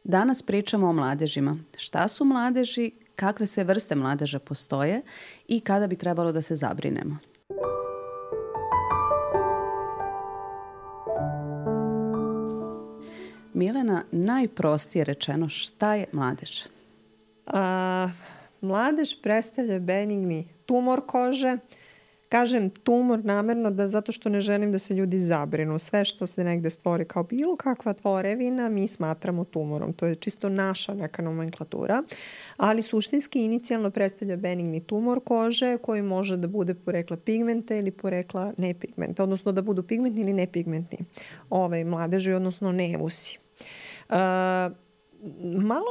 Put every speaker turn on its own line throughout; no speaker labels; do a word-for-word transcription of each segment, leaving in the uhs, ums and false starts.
Danas pričamo o mladežima. Šta su mladeži, kakve sve vrste mladeža postoje i kada bi trebalo da se zabrinemo. Milena, najprostije rečeno, šta je mladež?
A, mladež predstavlja benigni tumor kože. Kažem tumor namerno da zato što ne želim da se ljudi zabrinu. Sve što se negde stvori kao bilo kakva tvorevina mi smatramo tumorom. To je čisto naša neka nomenklatura. Ali suštinski inicijalno predstavlja benigni tumor kože koji može da bude porekla pigmenta ili porekla nepigmenta. Odnosno da budu pigmentni ili nepigmentni ove mladeži, odnosno nevusi. Uh, malo,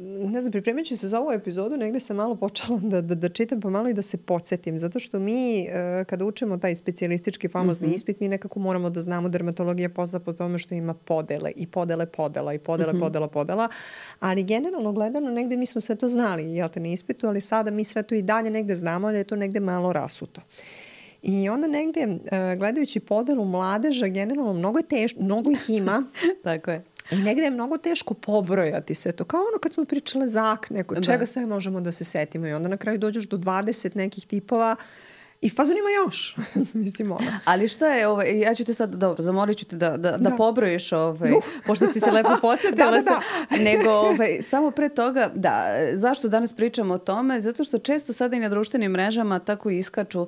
ne znam, pripremajući se za ovu epizodu, negde sam malo počela da, da, da čitam pa malo i da se podsjetim, zato što mi uh, kada učimo taj specijalistički famozni mm-hmm. ispit, mi nekako moramo da znamo dermatologija pozna po tome što ima podele i podele podela i podele mm-hmm. podela podela, ali generalno gledano negde mi smo sve to znali, jel te, na ispitu, ali sada mi sve to i dalje negde znamo, ali je to negde malo rasuto. I onda negde, uh, gledajući podelu mladeža, generalno mnogo je teško, mnogo ih ima.
Tako je.
I negde je mnogo teško pobrojati sve to. Kao ono kad smo pričale za akne, kod čega sve možemo da se setimo. I onda na kraju dođeš do dvadeset nekih tipova i fazon ima još. Mislim, ono.
Ali šta je, ovaj, ja ću te sad, dobro, zamolit ću te da, da, da, da. pobrojiš, ovaj, uh. pošto si se lepo podsjetila da, da, da. se, nego ovaj, samo pre toga, da, zašto danas pričamo o tome? Zato što često sada i na društvenim mrežama tako iskaču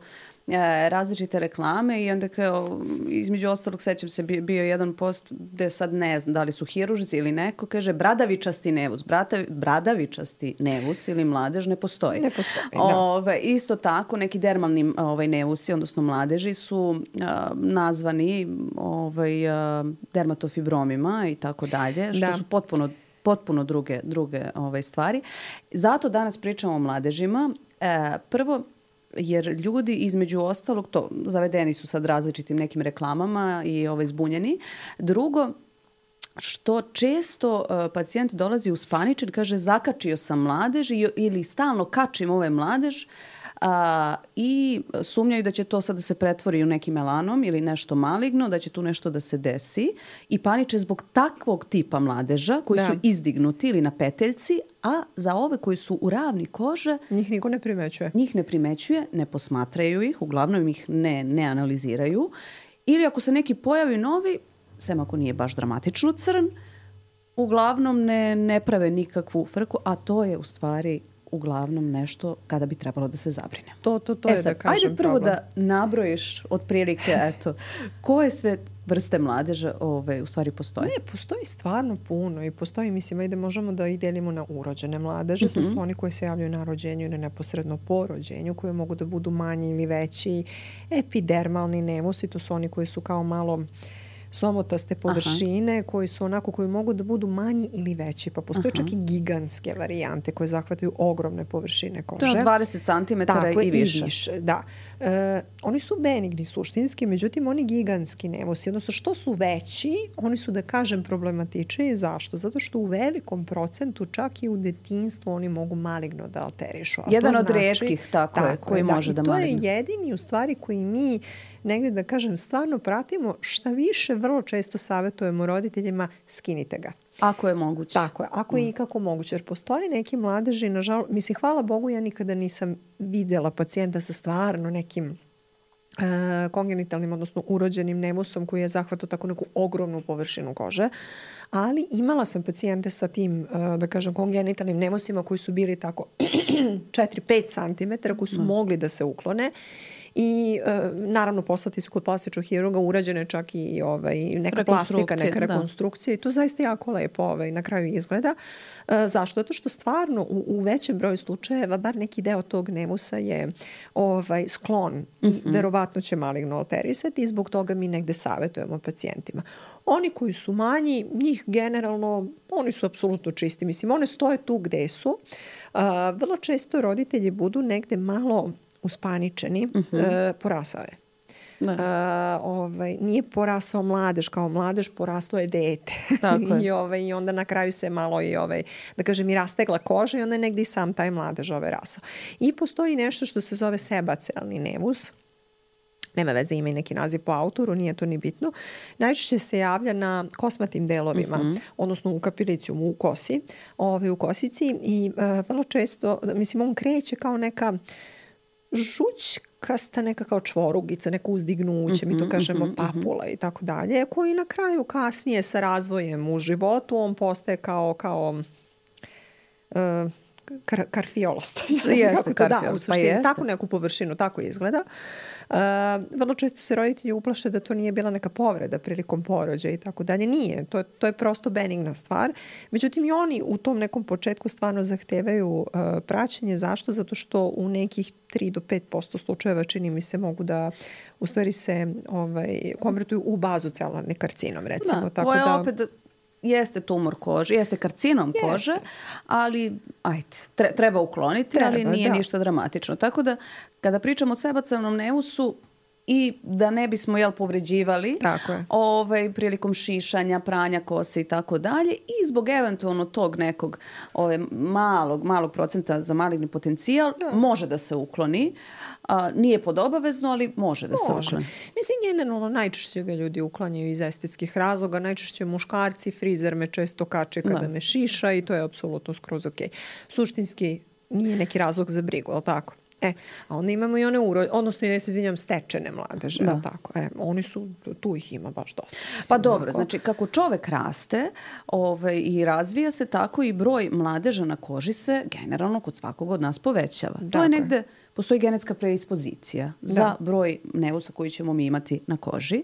različite reklame i onda kao, između ostalog, sećam se, bio jedan post gde sad ne znam da li su hiružci ili neko, kaže bradavičasti nevus. Bradavi, bradavičasti nevus ili mladež ne postoji.
Ne postoji, da.
Ove, isto tako, neki dermalni ovaj, nevusi, odnosno mladeži su a, nazvani ovaj, a, dermatofibromima i tako dalje, što da. su potpuno, potpuno druge, druge ovaj, stvari. Zato danas pričamo o mladežima. E, prvo, jer ljudi između ostalog, to zavedeni su sad različitim nekim reklamama i ovaj, zbunjeni. Drugo, što često uh, pacijent dolazi uspaničen, kaže zakačio sam mladež i, ili stalno kačim ovaj mladež uh, i sumnjaju da će to sad da se pretvori u neki melanom ili nešto maligno, da će tu nešto da se desi i paniče zbog takvog tipa mladeža koji da. su izdignuti ili na peteljci, a za ove koji su u ravni kože...
Njih niko ne primećuje.
Njih ne primećuje, ne posmatraju ih, uglavnom ih ne, ne analiziraju. Ili ako se neki pojavi novi, sem ako nije baš dramatično crn, uglavnom ne, ne prave nikakvu frku, a to je u stvari uglavnom nešto kada bi trebalo da se zabrine.
To, to, to
e
je
sad,
da kažem
ajde prvo
problem.
da nabrojiš otprilike, eto, koje sve vrste mladeža ove, u stvari postoje?
Ne, postoji stvarno puno i postoji, mislim, ajde možemo da i delimo na urođene mladeže. Mm-hmm. To su oni koji se javljaju na rođenju ili neposredno po rođenju, koje mogu da budu manji ili veći. Epidermalni nevusi, to su oni koji su kao malo somotaste površine, aha, koji su onako, koji mogu da budu manji ili veći. Pa postoje aha. čak i gigantske varijante koje zahvataju ogromne površine kože.
To je dvadeset centimetara i više.
i više. Da. E, oni su benigni suštinski, međutim oni gigantski nevusi, odnosno što su veći, oni su, da kažem, problematični. Zašto? Zato što u velikom procentu, čak i u detinjstvu, oni mogu maligno da alterišu. A
jedan od
znači,
retkih, tako, tako je, koji da, može da maligno.
I to je jedini, u stvari, koji mi negde, da kažem, stvarno pratimo. Šta više, vrlo često savjetujemo roditeljima, skinite ga.
Ako je moguće.
Tako je, ako je mm. ikako moguće. Jer postoje neki mladeži, nažalost, mislim, hvala Bogu, ja nikada nisam videla pacijenta sa stvarno nekim uh, kongenitalnim, odnosno urođenim nevusom koji je zahvatao tako neku ogromnu površinu kože. Ali imala sam pacijente sa tim, uh, da kažem, kongenitalnim nevusima koji su bili tako četiri do pet centimetara, koji su mm. mogli da se uklone. I e, naravno poslati su kod plastičnog hirurga, urađene čak i ovaj, neka plastika, neka rekonstrukcija, da. I to zaista jako lepo ovaj, na kraju izgleda. E, zašto? Zato što stvarno u, u većem broju slučajeva bar neki deo tog nevusa je ovaj, sklon mm-hmm. i verovatno će maligno alterisati i zbog toga mi negde savjetujemo pacijentima. Oni koji su manji, njih generalno, oni su apsolutno čisti. Mislim, one stoje tu gde su. E, vrlo često roditelji budu negde malo uspaničeni, uh-huh. e, porasao je. E, ovaj, nije porasao mladež kao mladež, poraslo je dete. Tako je. I, ovaj, I onda na kraju se malo i, ovaj, da kažem, i rastegla koža i onda je negdje i sam taj mladež ovaj rasao. I postoji nešto što se zove sebacealni nevus. nema veze, ima i neki naziv po autoru, nije to ni bitno. Najčešće se javlja na kosmatim delovima, mm-hmm. odnosno u kapilicijumu, u kosi, ove, u kosici i uh, vrlo često, mislim, on kreće kao neka žućkasta, neka kao čvorugica, neko uzdignuće, mm-hmm, mi to kažemo mm-hmm, papula i tako dalje, koji na kraju kasnije sa razvojem u životu on postaje kao, kao uh, kar, karfiolasta.
Jeste, karfiolast,
pa jeste. Tako neku površinu, tako izgleda. Uh, vrlo često se roditelji uplaše da to nije bila neka povreda prilikom porođaja i tako dalje. Nije. To, to je prosto benigna stvar. Međutim, i oni u tom nekom početku stvarno zahtevaju uh, praćenje. Zašto? Zato što u nekih tri do pet posto slučajeva, čini mi se, mogu da u stvari se ovaj, konvertuju u bazocelularni karcinom, recimo.
Da,
tako
ovo je
da,
opet... Jeste tumor kože, jeste karcinom jeste. kože, ali ajde, treba ukloniti, treba, ali nije da. ništa dramatično. Tako da, kada pričamo o sebacelularnom neusu i da ne bismo jel, povređivali ovaj, prilikom šišanja, pranja kose i tako dalje, i zbog eventualno tog nekog ovaj, malog, malog procenta za maligni potencijal, da. može da se ukloni. A, nije pod obavezno, ali može da se može. ukloni.
Mislim, generalno najčešće ga ljudi uklanjaju iz estetskih razloga. Najčešće muškarci, frizer me često kače kada da. me šiša i to je apsolutno skroz ok. Suštinski nije neki razlog za brigu, ali tako? E, a onda imamo i one uro, odnosno ja se izvinjam, stečene mladeže, da. tako. E, oni su, tu ih ima baš dosta. Mislim,
pa dobro, onako. Znači kako čovek raste ovaj, i razvija se, tako i broj mladeža na koži se generalno kod svakog od nas povećava. Dakle. To je negde, postoji genetska predispozicija da. za broj neusa koji ćemo mi imati na koži.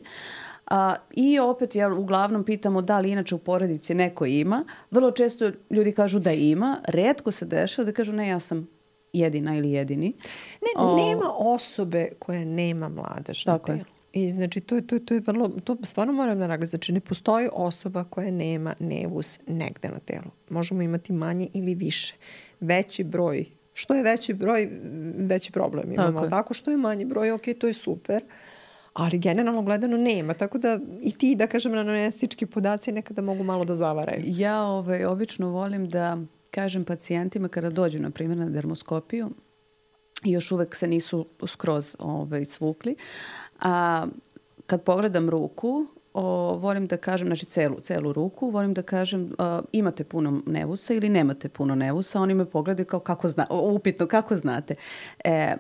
A, I opet, ja uglavnom pitamo da li inače u porodici neko ima. Vrlo često ljudi kažu da ima, retko se dešava da kažu ne, ja sam jedina ili jedini.
Ne, o... nema osobe koja nema mladež na telu. I znači to je, to, to je vrlo, to stvarno moram da naglasiti. Znači ne postoji osoba koja nema nevus negde na telu. Možemo imati manje ili više. Veći broj, što je veći broj, veći problem imamo. Tako, tako što je manji broj, ok, to je super. Ali generalno gledano nema. Tako da i ti, da kažem, anamnestički podaci nekada mogu malo da zavaraju.
Ja ovaj, obično volim da kažem pacijentima kada dođu, na primjer, na dermoskopiju i još uvek se nisu skroz ovaj, svukli, a kad pogledam ruku, o, volim da kažem, znači celu, celu ruku, volim da kažem a, imate puno nevusa ili nemate puno nevusa. Oni me pogledaju kao kako zna, upitno kako znate. E,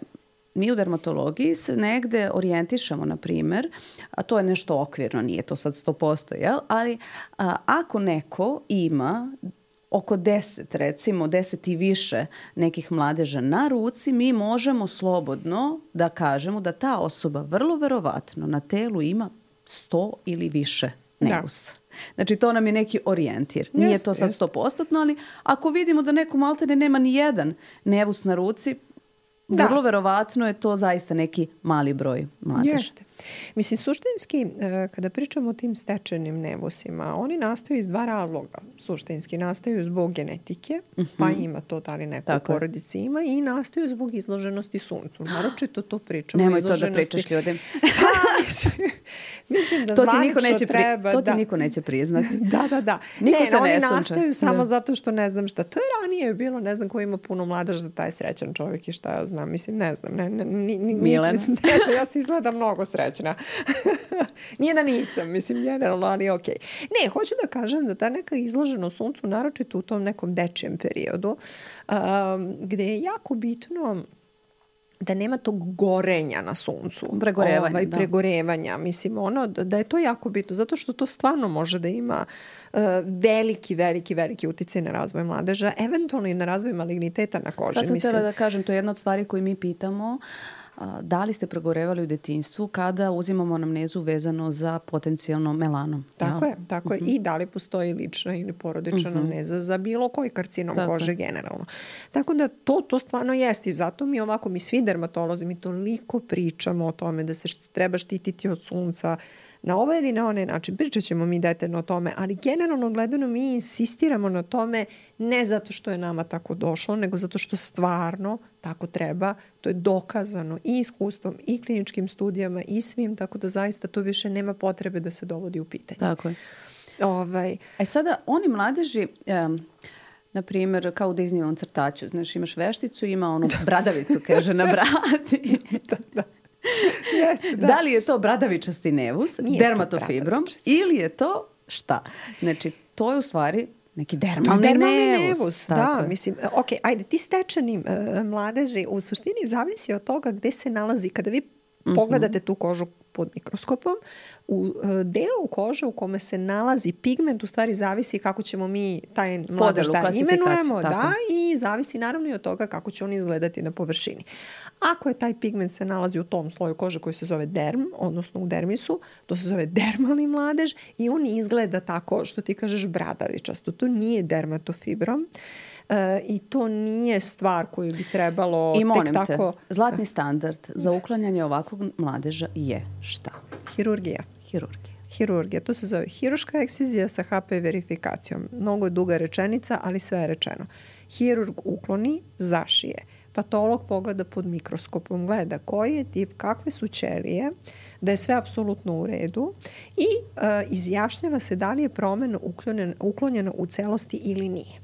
mi u dermatologiji se negde orijentišemo, na primjer, a to je nešto okvirno, nije to sad sto posto, jel? Ali a, ako neko ima oko deset, recimo deset i više nekih mladeža na ruci, mi možemo slobodno da kažemo da ta osoba vrlo verovatno na telu ima sto ili više neusa. Da. Znači to nam je neki orijentir. Nije jest, to sad sto posto, ali ako vidimo da neko maltene nema ni jedan nevus na ruci, da. vrlo verovatno je to zaista neki mali broj mladeža.
Jeste. Mislim, suštinski, kada pričamo o tim stečenim nevusima, oni nastaju iz dva razloga. Suštinski nastaju zbog genetike, uh-huh. pa ima to da li neko u porodici ima, i nastaju zbog izloženosti suncu. Naročito to pričamo.
Nemoj to da pričaš ljudima.
Mislim da
to ti niko neće
treba.
Pri... To ti da. niko neće priznati.
da, da, da.
Niko
ne,
se
oni
ne
nastaju samo da. zato što ne znam šta. To je ranije bilo, ne znam ko ima puno mladež da taj srećan čovjek i šta ja znam. Mislim, ne znam. Ne, ne, ni, ni,
Milena.
Ne znam, ja se izgledam mnogo srećna. Nije da nisam, mislim, generalno, ali okej. Okay. Ne, hoću da kažem da ta neka izloženost suncu, naročito u tom nekom dečijem periodu, um, gde je jako bitno da nema tog gorenja na suncu.
Pregorevanja,
ovaj,
da.
Pregorevanja. Mislim, ono, da je to jako bitno, zato što to stvarno može da ima uh, veliki, veliki, veliki uticaj na razvoj mladeža, eventualno i na razvoj maligniteta na koži.
Sad sam
mislim.
htjela da kažem, to je jedna od stvari koju mi pitamo. Da li ste pregorevali u detinjstvu kada uzimamo anamnezu vezano za potencijalno melanom?
Tako ja? je, tako uh-huh. je. I da li postoji lična ili porodična uh-huh. anamneza za bilo koji karcinom tako kože je. generalno. Tako da to, to stvarno jeste i zato mi ovako, mi svi dermatolozi, mi toliko pričamo o tome da se št, treba štititi od sunca na ovaj ili na onaj način. Pričat ćemo mi detaljno o tome, ali generalno gledano mi insistiramo na tome ne zato što je nama tako došlo, nego zato što stvarno tako treba. To je dokazano i iskustvom i kliničkim studijama i svim, tako da zaista to više nema potrebe da se dovodi u pitanje.
Tako je.
Ovaj.
E sada, oni mladeži, um, na primjer, kao u Disneyovom crtaču, znaš, imaš vešticu, ima onu bradavicu, kaže, na bradi.
da, da. Jeste, da.
Da li je to bradavičasti nevus,
Nije
dermatofibrom, ili je to šta? Znači, to je u stvari neki dermalni,
dermalni
nevus.
nevus. Da, je. Mislim, ok, ajde, ti stečeni uh, mladeži u suštini zavisi od toga gde se nalazi. Kada vi mm-hmm. pogledate tu kožu pod mikroskopom, u uh, delu kože u kome se nalazi pigment u stvari zavisi kako ćemo mi taj mladež da imenujemo, da, i zavisi naravno i od toga kako će on izgledati na površini. Ako je taj pigment se nalazi u tom sloju kože koji se zove derm, odnosno u dermisu, to se zove dermalni mladež i on izgleda tako što ti kažeš bradavičasto. To nije dermatofibrom. E, i to nije stvar koju bi trebalo
I molim
tek tako...
te, zlatni standard za uklanjanje ovakvog mladeža je šta?
Hirurgija.
Hirurgija.
Hirurgija. To se zove hiruška ekscizija sa H P verifikacijom. Mnogo je duga rečenica, ali sve je rečeno. Hirurg ukloni, zašije. Patolog pogleda pod mikroskopom, gleda koji je tip, kakve su ćelije, da je sve apsolutno u redu i uh, izjašnjava se da li je promena uklonjena u celosti ili nije.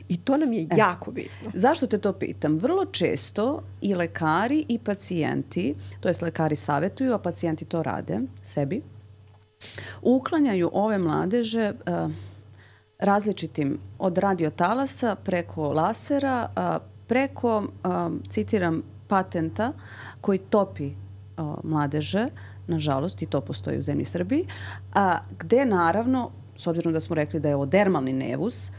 I to nam je e, jako bitno.
Zašto te to pitam? Vrlo često i lekari i pacijenti, to jest lekari savjetuju, a pacijenti to rade sebi, uklanjaju ove mladeže uh, različitim od radiotalasa preko lasera, uh, preko, uh, citiram, patenta koji topi uh, mladeže, nažalost, i to postoji u zemlji Srbiji, a gde naravno, s obzirom da smo rekli da je ovo dermalni nevus,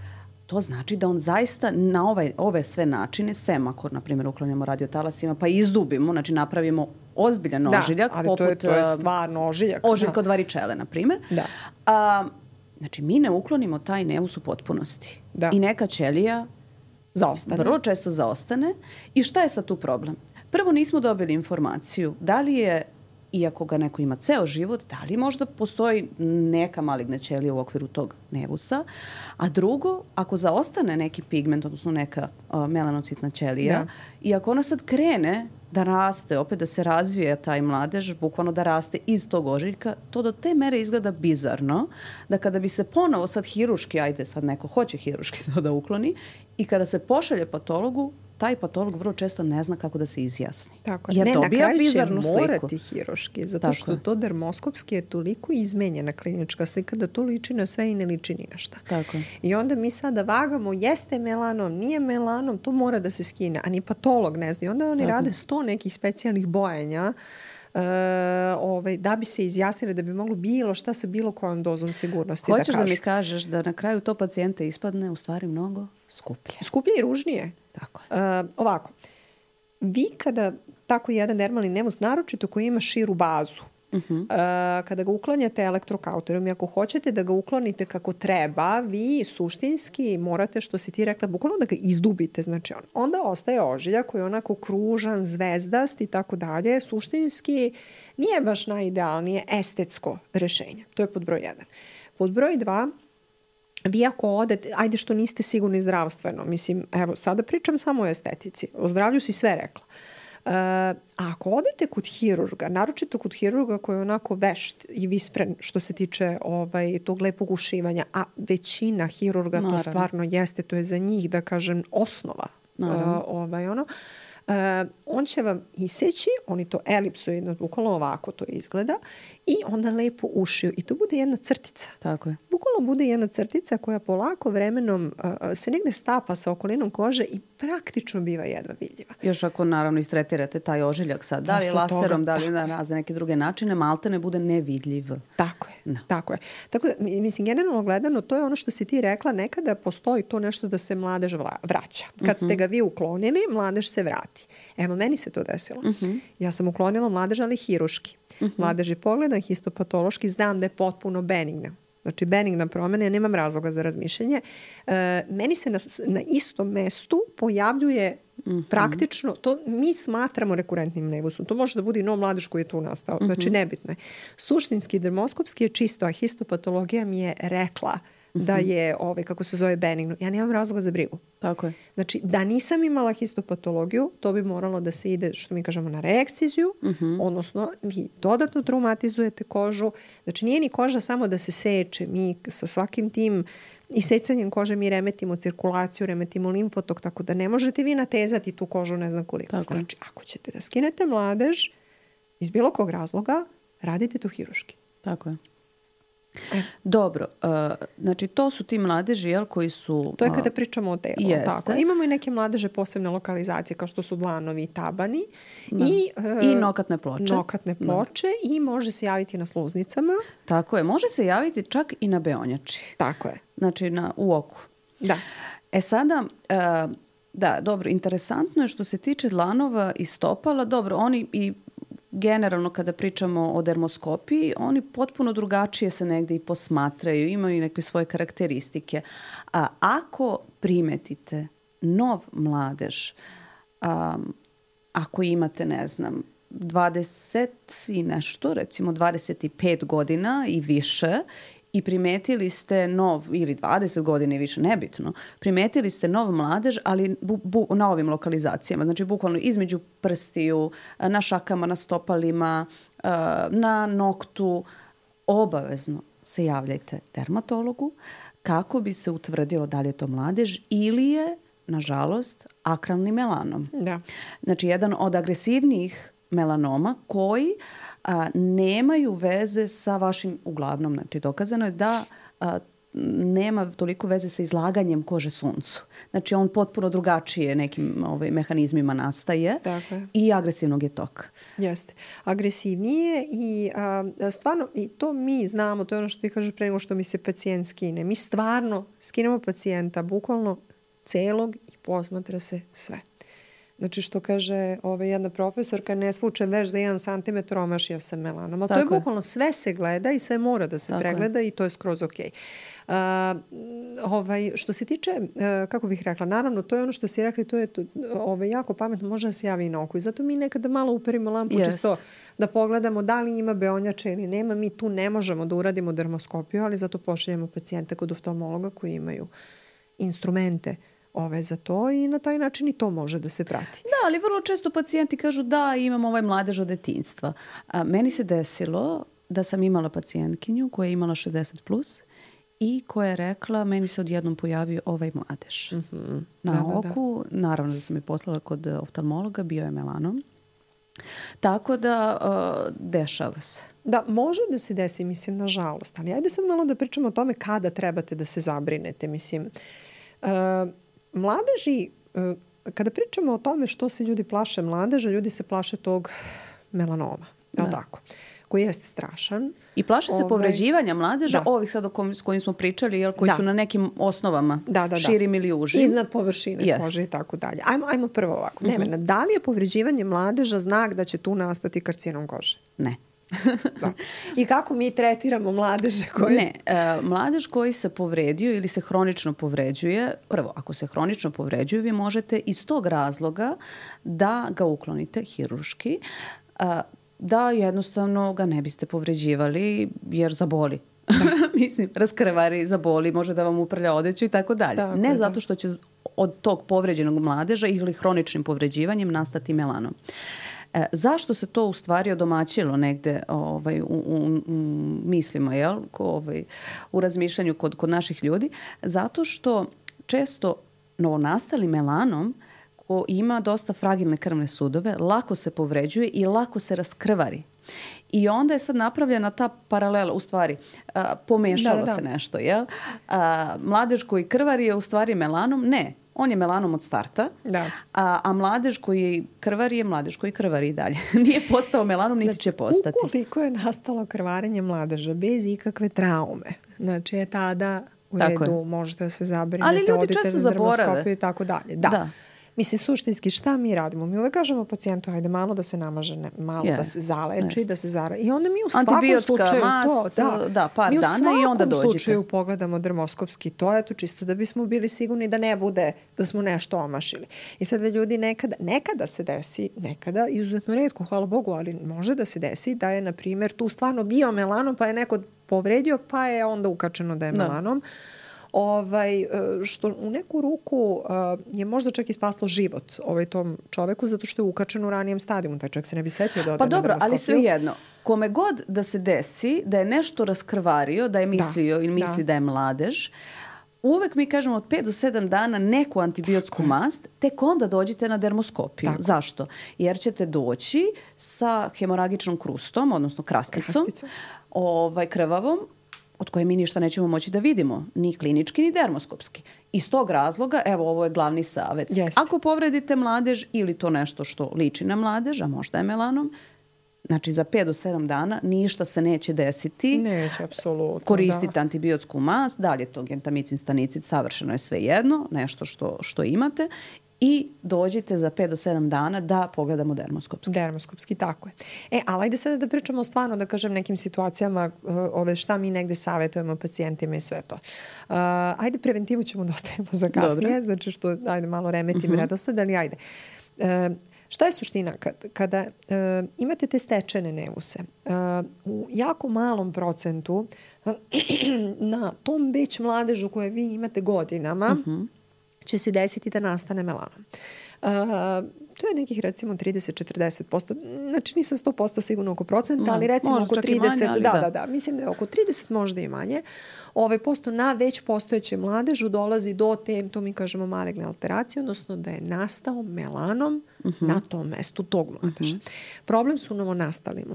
to znači da on zaista na ovaj, ove sve načine, sem ako, na primjer, uklanjamo radiotalasima, pa izdubimo, znači napravimo ozbiljan ožiljak.
Da, ali poput, to, je, to je stvarno ožiljak.
Ožiljak od varičele, na primjer.
Da.
A, znači, mi ne uklonimo taj nevus u potpunosti.
Da.
I neka ćelija
zaostane.
Vrlo često zaostane. I šta je sad tu problem? Prvo, nismo dobili informaciju da li je, iako ga neko ima ceo život, da li možda postoji neka maligna ćelija u okviru tog nevusa. A drugo, ako zaostane neki pigment, odnosno neka uh, melanocitna ćelija, da. I ako ona sad krene da raste, opet da se razvije taj mladež, bukvalno da raste iz tog ožiljka, to do te mere izgleda bizarno, da kada bi se ponovo sad hiruški, ajde sad neko hoće hiruški to da ukloni, i kada se pošalje patologu, taj patolog vrlo često ne zna kako da se izjasni.
Tako je. Jer ne, dobija bizarnu sliku. Ne, na kraju će morati hiruški, zato Tako što je. To dermoskopski je toliko izmenjena klinička slika da to liči na sve i ne liči ni na šta.
Tako je.
I onda mi sada vagamo, jeste melanom, nije melanom, to mora da se skine, a ni patolog ne zna. I onda oni Tako. Rade sto nekih specijalnih bojanja Uh, ovaj, da bi se izjasnili da bi moglo bilo šta sa bilo kojom dozom sigurnosti
Hoćeš
da kažu.
Hoćeš da mi kažeš da na kraju to pacijenta ispadne u stvari mnogo skuplje.
Skuplje i ružnije.
Tako je.
Uh, ovako, vi kada tako jedan dermalni nevus, naročito koji ima širu bazu, uh-huh. uh, kada ga uklanjate elektrokauterom i ako hoćete da ga uklonite kako treba, vi suštinski morate, što si ti rekla, bukvalno da ga izdubite. Znači on, onda ostaje ožiljak koji je onako kružan, zvezdast i tako dalje. Suštinski nije baš najidealnije estetsko rešenje. To je pod broj jedan. Pod broj dva, vi ako odete, ajde što niste sigurni zdravstveno, mislim, evo, sada pričam samo o estetici. O zdravlju si sve rekla. Uh, a ako odete kod hirurga, naročito kod hirurga koji je onako vešt i vispren što se tiče ovaj, tog lepog ušivanja, a većina hirurga Naravno. To stvarno jeste, to je za njih, da kažem, osnova. Uh, ovaj, ono, uh, on će vam iseći, oni to elipsoidno, bukvalno ovako to izgleda, i onda lepo ušiju. I to bude jedna crtica.
Tako je.
Bukvalno bude jedna crtica koja polako vremenom uh, se negde stapa sa okolinom kože i praktično biva jedva vidljiva.
Još ako naravno istretirate taj ožiljak sad, da li laserom, toga, da li na razne neke druge načine, malte ne bude nevidljiv.
Tako je, no. tako je. Tako da, mislim, generalno gledano, to je ono što si ti rekla, nekada postoji to nešto da se mladež vraća. Kad uh-huh. ste ga vi uklonili, mladež se vrati. Evo, meni se to desilo. Uh-huh. Ja sam uklonila mladež, ali hiruški. Uh-huh. Mladež je pogledan, histopatološki, znam da je potpuno benigna. Znači, benigna promena, ja nemam razloga za razmišljanje. E, meni se na, na istom mestu pojavljuje mm-hmm. praktično, to mi smatramo rekurentnim nevusom. To može da bude i nov mladež koji je tu nastao. Znači, mm-hmm. nebitno je. Suštinski, dermoskopski je čisto, a histopatologija mi je rekla da je, ovaj, kako se zove, benigno. Ja nemam razloga za brigu.
Tako je.
Znači, da nisam imala histopatologiju, to bi moralo da se ide, što mi kažemo, na reekciziju, uh-huh. odnosno vi dodatno traumatizujete kožu. Znači, nije ni koža samo da se seče. Mi sa svakim tim isecanjem kože mi remetimo cirkulaciju, remetimo limfotok, tako da ne možete vi natezati tu kožu ne znam koliko. Tako znači, ako ćete da skinete mladež, iz bilo kog razloga, radite to hiruški.
Tako je. E. Dobro, uh, znači to su ti mladeži, jel, koji su...
To je kada pričamo o telu. Tako. Imamo i neke mladeže posebne lokalizacije kao što su dlanovi i tabani.
Da. I, uh, I nokatne ploče.
Nokatne ploče da. I može se javiti na sluznicama.
Tako je, može se javiti čak i na beonjači.
Tako je.
Znači na, u oku.
Da.
E sada... Uh, da, dobro, interesantno je što se tiče dlanova i stopala. Dobro, oni i generalno kada pričamo o dermoskopiji, oni potpuno drugačije se negde i posmatraju, imaju neke svoje karakteristike. A ako primetite nov mladež, um, ako imate, ne znam, dvadeset i nešto, recimo dvadeset pet godina i više, i primetili ste nov, ili dvadeset godina i više, nebitno, primetili ste nov mladež, ali bu, bu, na ovim lokalizacijama, znači bukvalno između prstiju, na šakama, na stopalima, na noktu, obavezno se javljajte dermatologu kako bi se utvrdilo da li je to mladež ili je, nažalost, akralni melanom.
Da.
Znači, jedan od agresivnijih melanoma koji a, nemaju veze sa vašim, uglavnom, znači dokazano je da a, nema toliko veze sa izlaganjem kože suncu. Znači on potpuno drugačije nekim ovaj, mehanizmima nastaje i agresivnog je toka.
Jeste. Agresivnije i a, stvarno, i to mi znamo, to je ono što ti kaže pre nego što mi se pacijent skine. Mi stvarno skinemo pacijenta bukvalno celog i posmatra se sve. Znači što kaže ovaj, jedna profesorka, ne svučem veš za jedan santimetar, omašio sam melanom. Ali to je bukvalno sve se gleda i sve mora da se Tako pregleda je. I to je skroz okej. Okay. Uh, ovaj, što se tiče, uh, kako bih rekla, naravno to je ono što si rekli, to je to, ovaj, jako pametno, može da se javi i na oku. I zato mi nekada malo uperimo lampu Jest. čisto da pogledamo da li ima beonjača ili nema. Mi tu ne možemo da uradimo dermoskopiju, ali zato pošaljemo pacijenta kod oftalmologa koji imaju instrumente ove za to i na taj način i to može da se prati.
Da, ali vrlo često pacijenti kažu da imam ovaj mladež od detinjstva. A, meni se desilo da sam imala pacijentkinju koja je imala šezdeset plus i koja je rekla meni se odjednom pojavio ovaj mladež.
Mm-hmm.
Na
da,
oku,
da, da.
Naravno da sam je poslala kod oftalmologa, bio je melanom. Tako da uh, dešava se.
Da, može da se desi, mislim, nažalost. Ali ajde sad malo da pričamo o tome kada trebate da se zabrinete. Mislim, uh, mladeži, kada pričamo o tome što se ljudi plaše mladeža, ljudi se plaše tog melanoma, je li tako? Koji jeste strašan.
I plaše se Ove, povređivanja mladeža, da. ovih sad o kojim, s kojim smo pričali, jel, koji da. su na nekim osnovama, da, da, da. širim ili užim.
Iznad površine yes. kože i tako dalje. Ajmo, ajmo prvo ovako. Mm-hmm. Nevena, da li je povređivanje mladeža znak da će tu nastati karcinom kože?
Ne.
Da. I kako mi tretiramo mladeže koji...
Ne, e, mladež koji se povredio ili se hronično povređuje, prvo, ako se hronično povređuje, vi možete iz tog razloga da ga uklonite hiruški, e, da jednostavno ga ne biste povređivali jer zaboli. Mislim, raskrvari, zaboli, može da vam uprlja odeću i tako dalje.
Tako,
ne
da.
zato što će od tog povređenog mladeža ili hroničnim povređivanjem nastati melanom. E, zašto se to u stvari odomaćilo negde ovaj, u, u, u mislima, jel? Ko, ovaj, u razmišljanju kod, kod naših ljudi? Zato što često novonastali melanom ko ima dosta fragilne krvne sudove, lako se povređuje i lako se raskrvari. I onda je sad napravljena ta paralela, u stvari, a, pomešalo da, da, da. se nešto, jel? A, mladež koji krvari je u stvari melanom? Ne. On je melanom od starta,
da.
a, a mladež koji krvari je mladež koji krvari i dalje. Nije postao melanom, niti znači, će postati.
Ukoliko je nastalo krvarenje mladeža bez ikakve traume, znači je tada u
tako
redu,
je.
možete da se zabrinete,
ali ljudi često zaborave
i tako dalje. Da. da. Mislim, suštinski, šta mi radimo? Mi uvek kažemo pacijentu, ajde malo da se namaže, ne, malo yeah. da se zaleči, yes. da se zara... I onda mi u svakom slučaju
mast,
to... Da,
da par mi dana i onda dođete.
Mi u svakom slučaju pogledamo dermoskopski to, eto, čisto da bismo bili sigurni da ne bude, da smo nešto omašili. I sada ljudi nekada, nekada se desi, nekada, izuzetno retko, hvala Bogu, ali može da se desi da je, na primjer, tu stvarno bio melanom, pa je neko povredio, pa je onda ukačeno da je melanom. Da. Ovaj, što u neku ruku uh, je možda čak i spaslo život ovaj tom čoveku zato što je ukačen u ranijem stadijumu. Taj čovjek se ne bi setio da ode
pa
na
dobro,
dermoskopiju.
Ali svejedno, kome god da se desi da je nešto raskrvario, da je mislio da, ili misli da. da je mladež, uvek mi kažemo od pet do sedam dana neku antibiotsku mast, tek onda dođite na dermoskopiju. Tako. Zašto? Jer ćete doći sa hemoragičnom krustom, odnosno krasticom, krasticom. Ovaj, krvavom, od koje mi ništa nećemo moći da vidimo, ni klinički, ni dermoskopski. Iz tog razloga, evo, ovo je glavni savjet. Jeste. Ako povredite mladež ili to nešto što liči na mladež, a možda je melanom, znači za pet do sedam dana ništa se neće desiti.
Neće, apsolutno.
Koristite
da.
antibiotsku mast, da li je to gentamicin, stanicid, savršeno je sve jedno, nešto što, što imate. I dođite za pet do sedam dana da pogledamo dermoskopski.
Dermoskopski, tako je. E, ali ajde sada da pričamo stvarno, da kažem, nekim situacijama uh, ove šta mi negde savjetujemo pacijentima i sve to. Uh, ajde, preventivu ćemo da ostavimo za kasnije, Dobre. Znači što, ajde, malo remetim uh-huh. redosled, ali ajde. Uh, šta je suština? Kad, kada uh, imate te stečene nevuse, uh, u jako malom procentu na tom već mladežu koje vi imate godinama, uh-huh. će se desiti da nastane melanom. Uh, to je nekih recimo trideset do četrdeset posto. Znači nisam sto posto sigurno oko procenta, ali recimo oko trideset. Manje, ali da, da, da, da. Mislim da je oko trideset, možda i manje. Ovaj posto na već postojećem mladežu dolazi do te, to mi kažemo, maligne alteracije, odnosno da je nastao melanom uh-huh. na tom mestu tog mladeža. Uh-huh. Problem su novonastali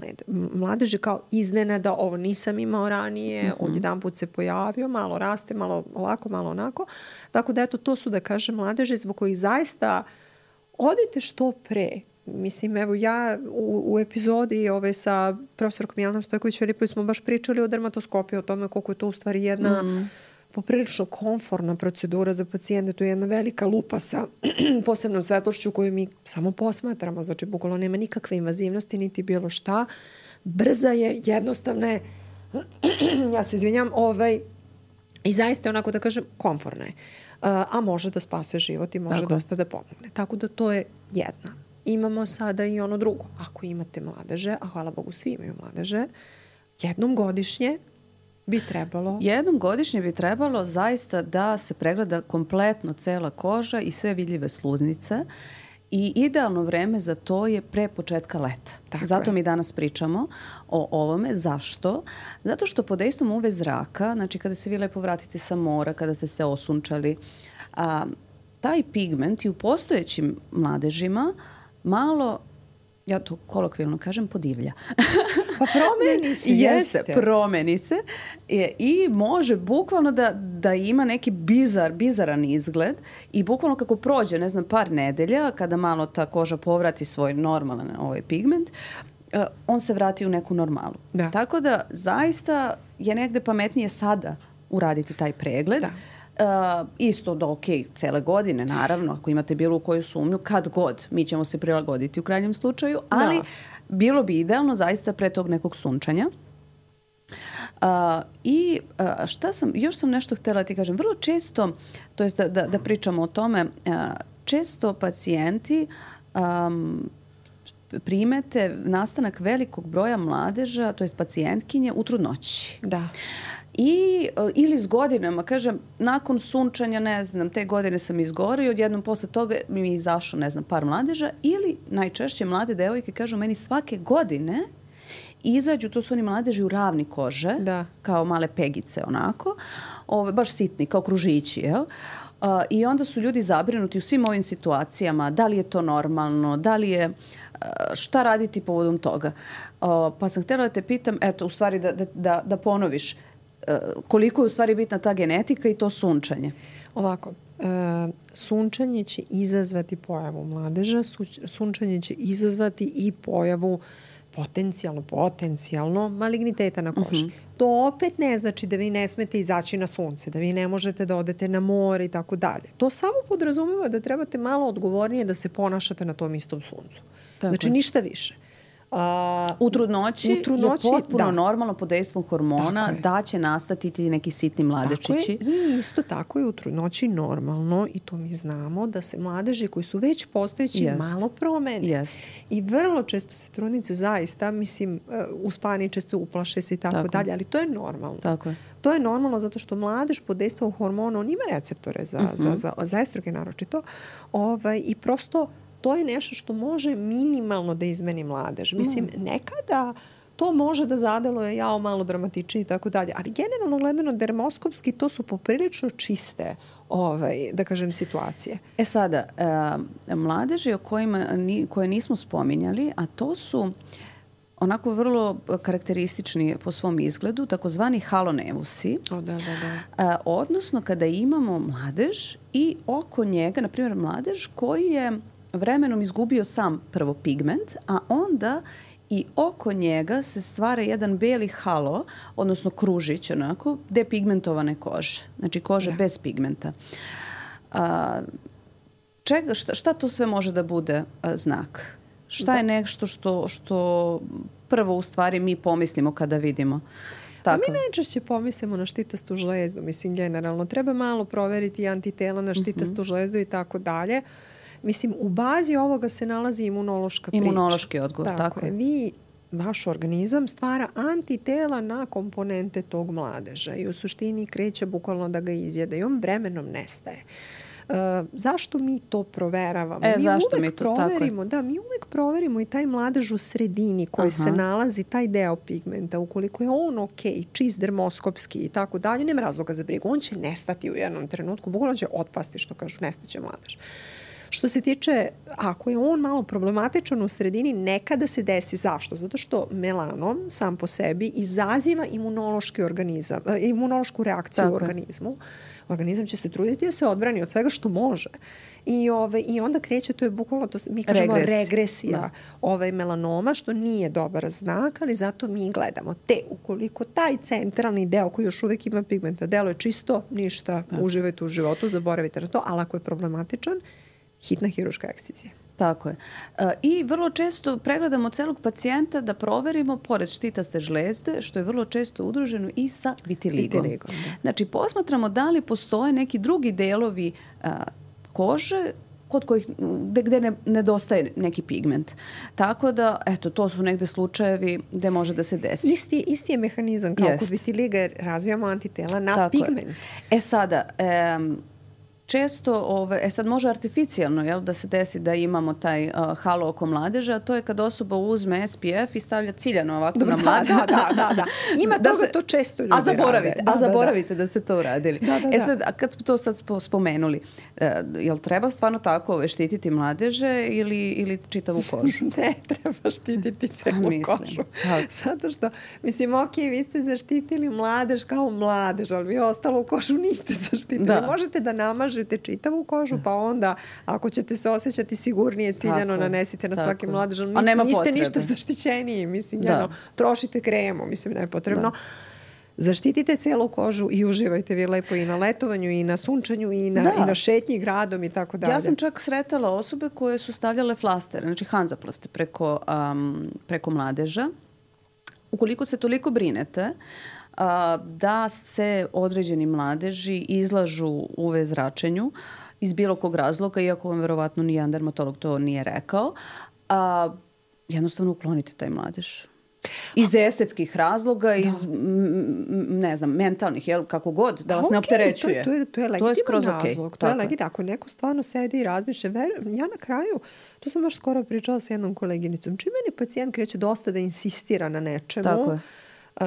mladeži, kao iznenada, ovo nisam imao ranije, uh-huh. odjedan put se pojavio, malo raste, malo ovako, malo onako. Tako da eto, to su, da kažem, mladeži zbog kojih zaista odite što pre. Mislim, evo ja u, u epizodi ove sa profesorkom Jelenom Stojković-Filipović smo baš pričali o dermatoskopiji, o tome koliko je to u stvari jedna mm. poprilično komfortna procedura za pacijente. To je jedna velika lupa sa posebnom svetlošću koju mi samo posmatramo. Znači, bukvalno nema nikakve invazivnosti, niti bilo šta. Brza je, jednostavna je, ja se izvinjam, ovaj, i zaista onako da kažem, komforna je. Uh, a može da spase život i može Tako. dosta da pomogne. Tako da to je jedna. Imamo sada i ono drugo. Ako imate mladeže, a hvala Bogu svi imaju mladeže, jednom godišnje bi trebalo...
Jednom godišnje bi trebalo zaista da se pregleda kompletno cela koža i sve vidljive sluznice. I idealno vreme za to je pre početka leta. Tako Zato je. mi danas pričamo o ovome. Zašto? Zato što pod dejstvom U V zraka, znači kada se vi lepo vratite sa mora, kada ste se osunčali, a, taj pigment i u postojećim mladežima malo, ja to kolokvijalno kažem, podivlja.
Pa promeni se, jeste.
Jeste, promeni se i, i može bukvalno da, da ima neki bizar, bizaran izgled i bukvalno kako prođe, ne znam, par nedelja, kada malo ta koža povrati svoj normalan ovaj pigment, uh, on se vrati u neku normalu. Da. Tako da zaista je negde pametnije sada uraditi taj pregled. Da. Uh, isto da ok, cele godine, naravno, ako imate bilo koju sumnju, kad god, mi ćemo se prilagoditi u krajnjem slučaju, ali da. bilo bi idealno zaista pre tog nekog sunčanja. Uh, I uh, šta sam, još sam nešto htjela ti kažem, vrlo često, to jest da, da, da pričamo o tome, uh, često pacijenti um, primete nastanak velikog broja mladeža, to jest pacijentkinje u trudnoći.
Da.
I, ili s godinama, kažem, nakon sunčanja, ne znam, te godine sam izgorio i odjednom posle toga mi je izašao, ne znam, par mladeža, ili najčešće mlade devojke kažu meni svake godine izađu, to su oni mladeži u ravni kože, da. kao male pegice onako, ove, baš sitni, kao kružići, jel? Uh, I onda su ljudi zabrinuti u svim ovim situacijama, da li je to normalno, da li je, uh, šta raditi povodom toga. Uh, pa sam htjela da te pitam, eto, u stvari da, da, da, da ponoviš, koliko je u stvari bitna ta genetika i to sunčanje?
Ovako, uh, sunčanje će izazvati pojavu mladeža, sunčanje će izazvati i pojavu potencijalno, potencijalno maligniteta na koži. Uh-huh. To opet ne znači da vi ne smete izaći na sunce, da vi ne možete da odete na more i tako dalje. To samo podrazumeva da trebate malo odgovornije da se ponašate na tom istom suncu. Tako znači, je. Ništa više.
Uh, u trudnoći, u trudnoći je potpuno da. normalno pod dejstvom hormona da će nastati ti neki sitni mladečići.
Tako je. I isto tako je u trudnoći normalno, i to mi znamo, da se mladeži koji su već postojeći Jest. malo promene.
Jest.
I vrlo često se trudnice zaista, mislim, uspani često uplaše se i tako, tako dalje, ali to je normalno.
Tako je.
To je normalno zato što mladež pod dejstvom hormona, on ima receptore za, uh-huh. za, za, za estrogen naročito, ovaj, i prosto to je nešto što može minimalno da izmeni mladež. Mislim, nekada to može da zadeluje jao malo dramatičnije i tako dalje. Ali generalno gledano dermoskopski to su poprilično čiste ovaj, da kažem, situacije.
E sada, e, mladeži o kojima ni, koje nismo spominjali, a to su onako vrlo karakteristični po svom izgledu, takozvani halonevusi.
O, da, da, da.
A, odnosno kada imamo mladež i oko njega, na primjer mladež koji je vremenom izgubio sam prvo pigment, a onda i oko njega se stvara jedan beli halo, odnosno kružić onako, depigmentovane kože. Znači kože da. bez pigmenta. A, čega, šta, šta to sve može da bude a, znak? Šta je nešto što, što prvo u stvari mi pomislimo kada vidimo? Tako.
A mi najčešće pomislimo na štitastu žlezdu, mislim generalno. Treba malo proveriti antitela na štitastu uh-huh. žlezdu i tako dalje. Mislim, u bazi ovoga se nalazi imunološka priča.
Imunološki odgovor, tako,
tako je. Vi, vaš organizam stvara antitela na komponente tog mladeža i u suštini kreće bukvalno da ga izjede i on vremenom nestaje. Uh, zašto mi to proveravamo?
E,
mi
zašto
uvek
mi to?
proverimo, da, mi uvek proverimo i taj mladež u sredini koji Aha. se nalazi, taj deo pigmenta, ukoliko je on ok, čist dermoskopski i tako dalje, nema razloga za brigu. On će nestati u jednom trenutku, bukvalno će otpasti, što kažu, nestaće mladež. Što se tiče, ako je on malo problematičan u sredini, nekada se desi. Zašto? Zato što melanom sam po sebi izaziva imunološki organizam, imunološku reakciju Tako u organizmu. Organizam će se truditi da se odbrani od svega što može. I, ove, i onda kreće, to je bukvalno, to mi kažemo Regres. regresija ovaj melanoma, što nije dobar znak, ali zato mi gledamo. Te, ukoliko taj centralni deo koji još uvijek ima pigmenta, deluje čisto, ništa, Tako. uživajte u životu, zaboravite na to, ali ako je problematičan, hitna hiruška ekscizija.
Tako je. E, I vrlo često pregledamo celog pacijenta da proverimo, pored štitaste žlezde, što je vrlo često udruženo i sa vitiligom. vitiligom znači, posmatramo da li postoje neki drugi delovi a, kože kod kojih, gde, gde ne, nedostaje neki pigment. Tako da, eto, to su negde slučajevi gde može da se desi.
Isti, isti je mehanizam kao Jest. kod vitiliga, jer razvijamo antitela na Tako pigment.
Je. E sada, e, često, ove, e sad može artificijalno jel, da se desi da imamo taj uh, halo oko mladeža, a to je kad osoba uzme S P F i stavlja ciljano ovako Dobre, na mladež.
Da, da, da, da. Ima da toga se, to često ljudi
a zaboravite,
rade.
Da, a zaboravite da, da. da ste to uradili.
Da, da,
e sad, a kad smo to sad spomenuli, uh, jel treba stvarno tako ove, štititi mladeže ili, ili čitavu kožu?
Ne, treba štititi celu kožu. Tako. Zato što, mislim, ok, vi ste zaštitili mladež kao mladež, ali vi ostalo u kožu niste zaštitili. Da. Možete da namažete čitavu kožu, pa onda ako ćete se osjećati sigurnije, ciljano tako, nanesite na tako. svaki mladež. Niste, niste potrebe. ništa zaštićeniji, mislim, jedno, trošite kremu, mislim, ne je potrebno. Da. Zaštitite celu kožu i uživajte vi lepo i na letovanju, i na sunčanju, i na, i na šetnji gradom i tako dalje.
Ja sam čak sretala osobe koje su stavljale flastere, znači hanzaplaste preko, um, preko mladeža. Ukoliko se toliko brinete, da se određeni mladeži izlažu U V zračenju iz bilo kog razloga, iako vam verovatno nijedan dermatolog to nije rekao, a, jednostavno uklonite taj mladež. Iz estetskih razloga, da. iz, ne znam, mentalnih, jel, kako god, da vas okay, ne opterećuje.
To, to je, to je legitiman razlog. Okay. To je legitiman. Ako neko stvarno sedi i razmišlja, verujem, ja na kraju, to sam baš skoro pričala sa jednom koleginicom, čim meni pacijent kreće dosta da insistira na nečemu, Tako je. Uh,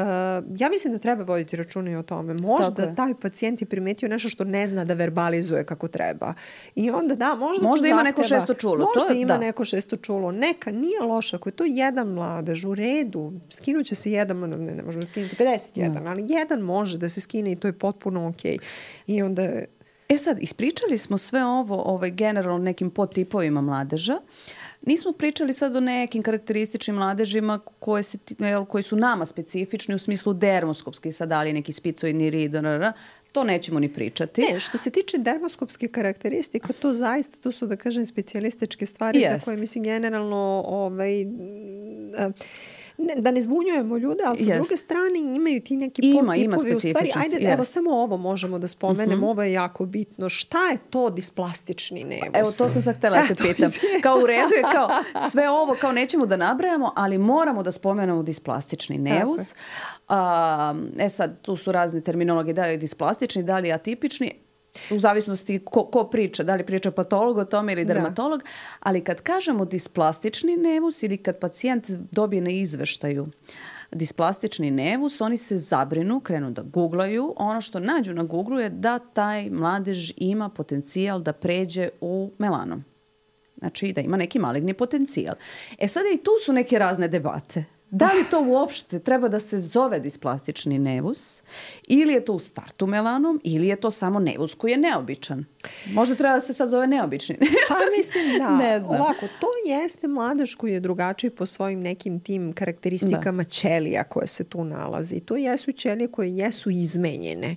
ja mislim da treba voditi računa i o tome. Možda taj pacijent je primetio nešto što ne zna da verbalizuje kako treba. I onda da, možda,
možda ima neko šesto čulo.
Možda
to,
ima
da.
neko šesto čulo. Neka, nije loša. Ako je to jedan mladež, u redu, skinuće se jedan, ne, ne možemo skinuti pedeset jedan, no. ali jedan može da se skine i to je potpuno okej. I onda...
E sad, ispričali smo sve ovo ovaj, generalno nekim podtipovima mladeža. Nismo pričali sad o nekim karakterističnim mladežima koje se, koji su nama specifični u smislu dermoskopski, sad da li neki spicoidni rid, to nećemo ni pričati.
Ne, što se tiče dermoskopske karakteristika, to zaista, to su da kažem specijalističke stvari Jest. za koje mislim generalno ovaj, ne, da ne zbunjujemo ljude, ali sa yes. druge strane imaju ti neki
ima,
podtipovi
u
stvari. Ajde,
yes.
evo samo ovo možemo da spomenem, uh-huh. ovo je jako bitno. Šta je to displastični nevus?
Evo, to sam sad htjela da te pitam. Kao u redu je kao sve ovo, kao nećemo da nabrajamo, ali moramo da spomenemo displastični nevus. A, e sad, tu su razni terminologi, da li je displastični, da li je atipični. U zavisnosti ko, ko priča, da li priča patolog o tome ili dermatolog, da. ali kad kažemo displastični nevus ili kad pacijent dobije na izveštaju displastični nevus, oni se zabrinu, krenu da googlaju. Ono što nađu na Googlu je da taj mladež ima potencijal da pređe u melanom. Znači da ima neki maligni potencijal. E sada i tu su neke razne debate. Da li to uopšte treba da se zove displastični nevus ili je to u startu melanom ili je to samo nevus koji je neobičan? Možda treba da se sad zove neobični.
Pa mislim da. Ne znam. Ovako, to jeste mladež koji je drugačiji po svojim nekim tim karakteristikama da. Ćelija koje se tu nalazi. To jesu ćelije koje jesu izmenjene.